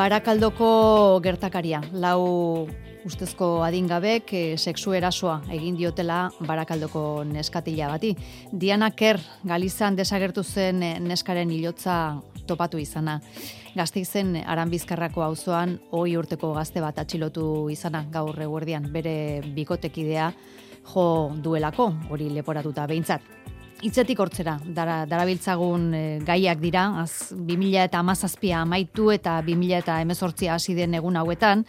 Barakaldoko gertakaria, lau ustezko adingabek sexu erasoa egin diotela Barakaldoko neskatila bati. Diana Kerr Galizan desagertu zen neskaren hilotza topatu izana. Gasteizen Aranbizkarrako auzoan 20 urteko gazte bat atxilotu izana gaur eguerdian, bere bikotekidea jo duelako, hori leporatuta behintzat. Hitzetik hortzera, darabiltzagun gaiak dira, 2017 amaitu eta 2018 hasi den egun hauetan,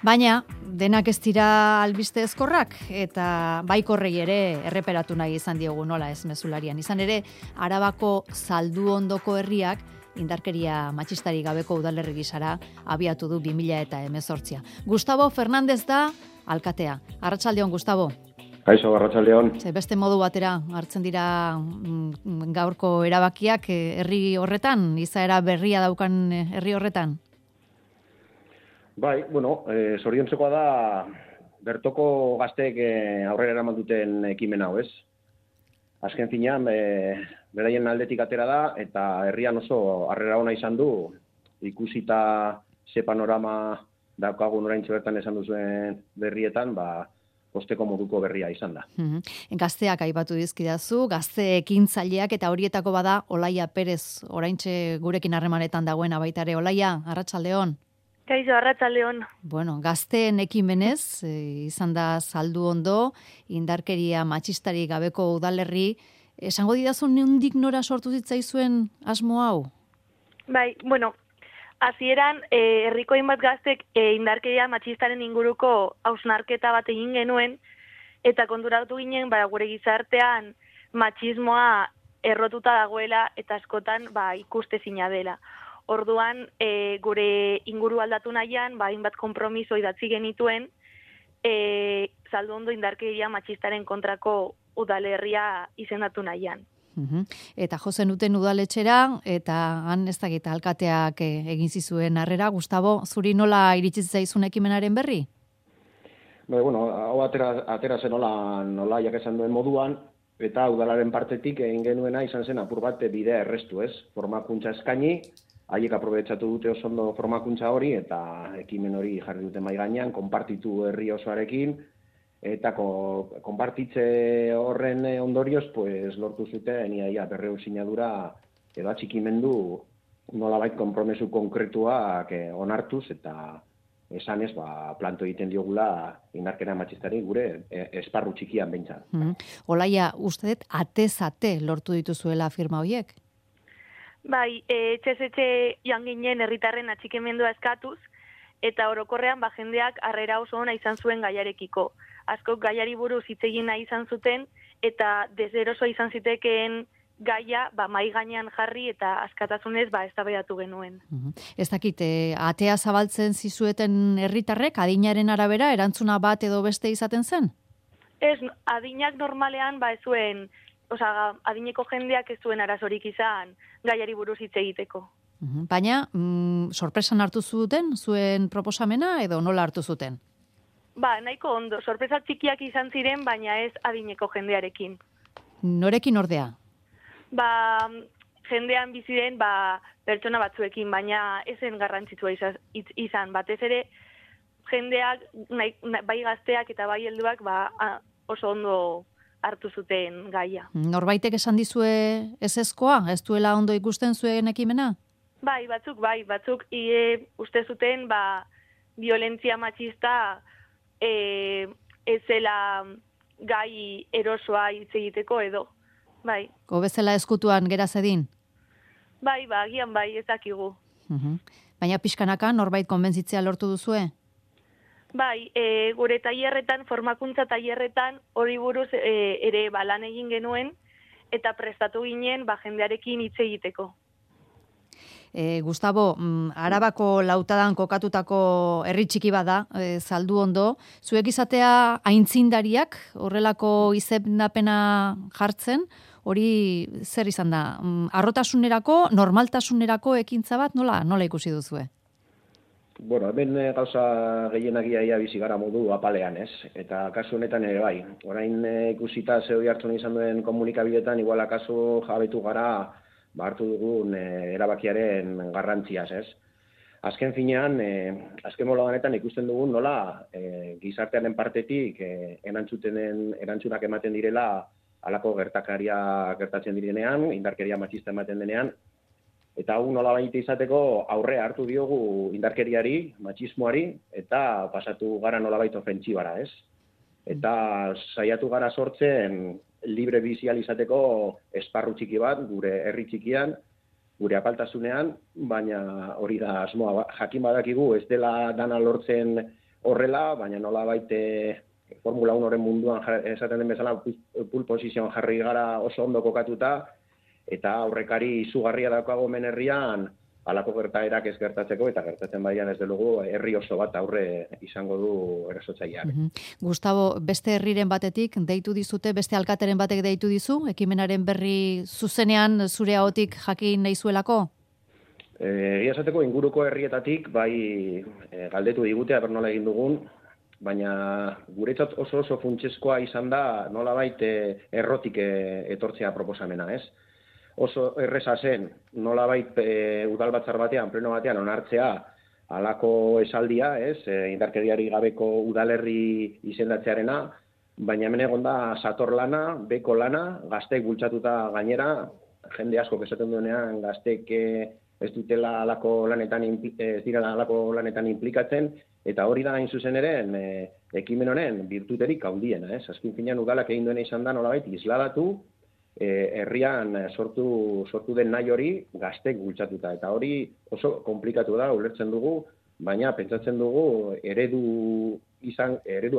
baina denak ez dira albiste ezkorrak eta baikorrei ere erreperatu nahi izan diogu nola ez mezularian. Izan ere, Arabako Zalduondoko herriak indarkeria matxistari gabeko udalerri gisara abiatu du 2018. Gustavo Fernández da alkatea. Arratsaldeon, Gustavo. Kaixo, arratsaldeon. Beste modu batera hartzen dira gaurko erabakiak herri horretan, izaera berria daukan herri horretan? Bai, zoriontzekoa da bertoko gazteek aurrera eraman duten ekimen hau, ez? Azken finean, beraien aldetik atera da, eta herrian oso harrera ona izan du, ikusita ze panorama daukagun oraintxe bertan esan duzuen berrietan, posteko moduko berria izan da. Gazteak aipatu dizkidazu, gazte ekintzaileak eta horietako bada Olaia Perez, oraintxe gurekin harremanetan dagoena baita ere. Olaia, arratsaldeon. Kaixo, arratsaldeon. Gazteen ekimenez, izan da Zalduondo, indarkeria matxistari gabeko udalerri, esango didazu nondik nora sortu zitzaizuen asmo hau? Bai, hasieran herriko hainbat gaztek indarkeria matxistaren inguruko hausnarketa bat egin genuen, eta konturatu ginen gure gizartean matxismoa errotuta dagoela eta askotan ikustezina dela. Orduan, gure inguru aldatu nahian, hainbat konpromiso idatzi genituen, Zalduondo indarkeria matxistaren kontrako udalerria izendatu nahian. Eta jo zenuten udaletxera, eta han ez dakit alkateak egin zizuen harrera. Gustavo, zuri nola iritsi zaizun ekimenaren berri? Hau atera zen nola jak esan duen moduan, eta udalaren partetik egin genuena izan zen apur bat bidea errestu, ez? Formakuntza eskaini, haiek aprobetxatu dute oso ondo formakuntza hori, eta ekimen hori jarri dute mahai gainean, konpartitu herri osoarekin, eta konpartitze horren ondorioz, lortu zuten iaia 200 sinadura edo atxikimendu nolabait konpromesu konkretuak onartuz, eta esanez, planto egiten diogula indarkeria matxistari gure esparru txikian behintzat. Olaia, uste dut atez-ate lortu dituzuela firma horiek? Bai, etxe joan ginen herritarren atxikimendua eskatuz, eta orokorrean jendeak harrera oso ona izan zuen gaiarekiko. Askok gaiari buruz hitz egin nahi izan zuten, eta deseroso izan zitekeen gaia mahai gainean jarri eta askatasunez eztabaidatu genuen. Ez dakit, atea zabaltzen zizueten herritarrek, adinaren arabera, erantzuna bat edo beste izaten zen? Ez, adinak normalean ez zuen, adineko jendeak ez zuen arazorik izan gaiari buruz hitz egiteko. Baina, sorpresan hartu zuten, zuen proposamena, edo nola hartu zuten? Nahiko ondo, sorpresa txikiak izan ziren, baina ez adineko jendearekin. Norekin ordea? Jendean biziren, pertsona batzuekin, baina ezen garrantzitsua izan. Batez ere, jendeak, bai gazteak eta bai helduak, oso ondo hartu zuten gaia. Norbaitek esan dizue ezezkoa? Ez duela ondo ikusten zuen ekimena? Batzuk, uste zuten, violentzia matxista ez zela gai erosoa hitz egiteko edo, bai. Bezala eskutuan gera zedin? Agian ez dakigu. Baina pixkanaka norbait konbentzitzea lortu duzue? Gure tailerretan, formakuntza tailerretan hori buruz ere lan egin genuen, eta prestatu ginen jendearekin hitz egiteko. Gustavo, Arabako lautadan kokatutako herri txiki bada, Zalduondo, zuek izatea aintzindariak horrelako izendapena jartzen, hori zer izan da? Harrotasunerako, normaltasunerako ekintza bat, nola ikusi duzue? Hemen gauza gehienagia bizi gara modu apalean, ez? Eta kasu honetan ere bai. Orain ikusita ze hori hartzen izan duen komunikabidetan, igual akaso jabetu gara hartu dugun erabakiaren garrantziaz, ez? azken finean, azken mola honetan ikusten dugun nola gizartearen partetik erantzunak ematen direla halako gertakaria gertatzen direnean, indarkeria matxista ematen denean, eta hau nola baita izateko aurre hartu diogu indarkeriari, matxismoari, eta pasatu gara nola baita ofentsibara, ez? Eta saiatu gara sortzen libre bizial izateko esparru txiki bat, gure herri txikian, gure apaltasunean, baina hori da asmoa. Jakin badakigu ez dela dana lortzen horrela, baina nola baite Formula 1-oren munduan esaten den bezala pole position jarri gara oso ondo kokatuta, eta aurrekari izugarria daukago hemen herrian halako gertaerak ez gertatzeko, eta gertatzen badian ez delugu herri oso bat aurre izango du erasotzaileak. Gustavo, beste herriren batetik deitu dizute, beste alkateren batek deitu dizu, ekimenaren berri zuzenean zure ahotik jakin nahi zuelako? Egia esateko inguruko herrietatik bai galdetu digute aber nola egin dugun, baina guretzat oso funtsezkoa izan da nolabait errotik etortzea proposamena, ez? Oso erreza zen nolabait udalbatzar batean, pleno batean onartzea halako esaldia, ez? Indarkeriari gabeko udalerri izendatzearena, baina hemen egon da sator lana, beko lana, gazteek bultzatuta gainera, jende asko esaten duenean gazteek ez dutela halako lanetan ez direla halako lanetan inplikatzen, eta hori da hain zuzen ere ekimen honen birtuterik handiena, ez? Azken finean udalak egin duena izan da nolabait isladatu herrian sortu den nahi hori gazteek bultzatuta, eta hori oso komplikatu da, ulertzen dugu, baina pentsatzen dugu eredua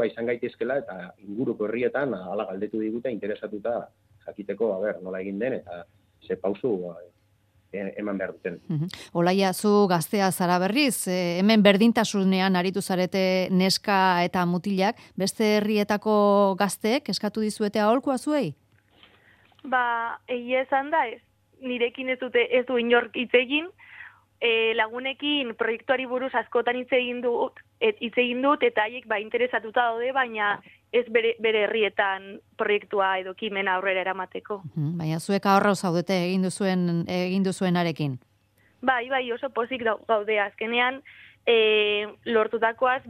izan gaitezkela, eta inguruko herrietan hala galdetu digute interesatuta jakiteko nola egin den, eta ze pausu eman behar duten. Olaia, zu gaztea zara berriz, hemen berdintasunean aritu zarete neska eta mutilak, beste herrietako gazteek eskatu dizuete aholkua zuei? Egia esan da ez. Nirekin ez du inork hitz egin, lagunekin proiektuari buruz askotan hitz egin dut, eta haiek interesatuta daude, baina ez bere herrietan proiektua edo ekimena aurrera eramateko. Baina zuek ahorra zaudete egin duzuenarekin. Bai, oso pozik gaude azkenean, lortutakoaz,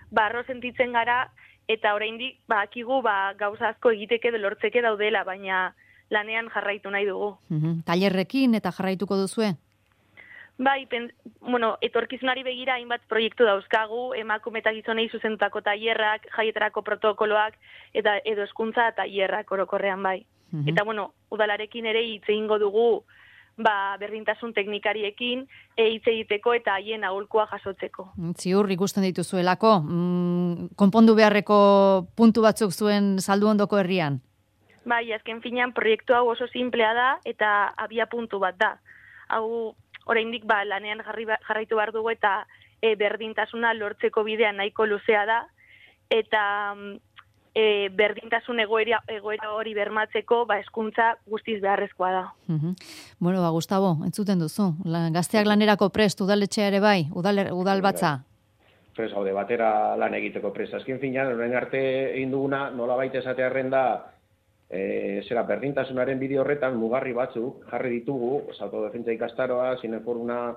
barro sentitzen gara, eta oraindik akigu gauza asko egiteke lortzeke daudela, baina lanean jarraitu nahi dugu. Tailerrekin eta jarraituko duzue? Bai, etorkizunari begira hainbat proiektu dauzkagu, emakume eta gizonei zuzendutako tailerrak, jaietarako protokoloak, eta edo hezkuntza tailerrak orokorrean bai. Eta udalarekin ere hitz egingo dugu berdintasun teknikariekin hitz egiteko eta haien aholkua jasotzeko. Ziur ikusten dituzuelako, konpondu beharreko puntu batzuk zuen Salduondoko herrian? Bai, azken finean proiektu hau oso simplea da eta abia puntu bat da. Hau oraindik lanean jarraitu behar dugu eta berdintasuna lortzeko bidea nahiko luzea da, eta berdintasun egoera hori bermatzeko hezkuntza guztiz beharrezkoa da. Gustavo, entzuten duzu, gazteak lanerako prest, udaletxea ere bai, udalbatza? Prest gaude, batera lan egiteko prest. Azken finean, orain arte egin duguna, nolabait esatearren da, berdintasunaren bideo horretan mugarri batzuk jarri ditugu, autodefentsa ikastaroa, zineforuna,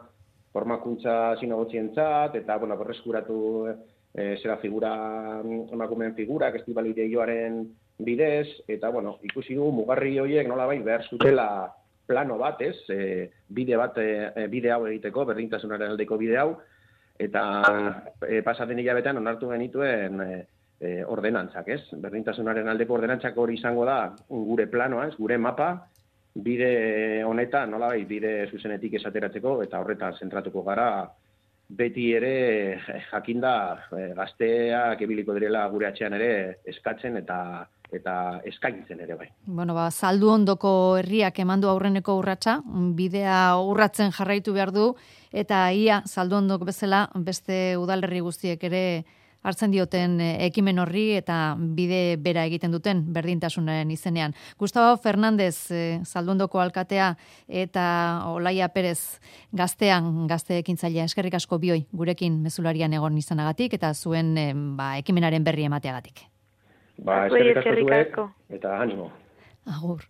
formakuntza zinegotzientzat, eta berreskuratu figura, emakumeen figurak, estibalideioaren bidez, eta ikusi dugu mugarri horiek nolabait behar zutela plano bat, bide hau egiteko, berdintasunaren aldeko bide hau, eta pasaten hilabetean onartu genituen ordenantzak, berdintasunaren aldeko ordenantzak hori izango da gure planoa, gure mapa, bide honetan nolabait bide zuzenetik esateratzeko, eta horretan zentratuko gara, beti ere jakinda gazteak ebiliko direla gure atxean ere eskatzen eta eskaintzen ere bai. Salduondoko herriak emandu aurreneko urratsa, bidea urratzen jarraitu behar du, eta ia Salduondok bezala beste udalerri guztiek ere hartzen dioten ekimen horri eta bide bera egiten duten berdintasunaren izenean. Gustavo Fernández, Salduondoko alkatea, eta Olaia Perez gazte ekintzailea, eskerrik asko bioi gurekin mezularian egon izanagatik eta zuen ekimenaren berri emateagatik. Eskerrik asko zuek, eta animo. Agur.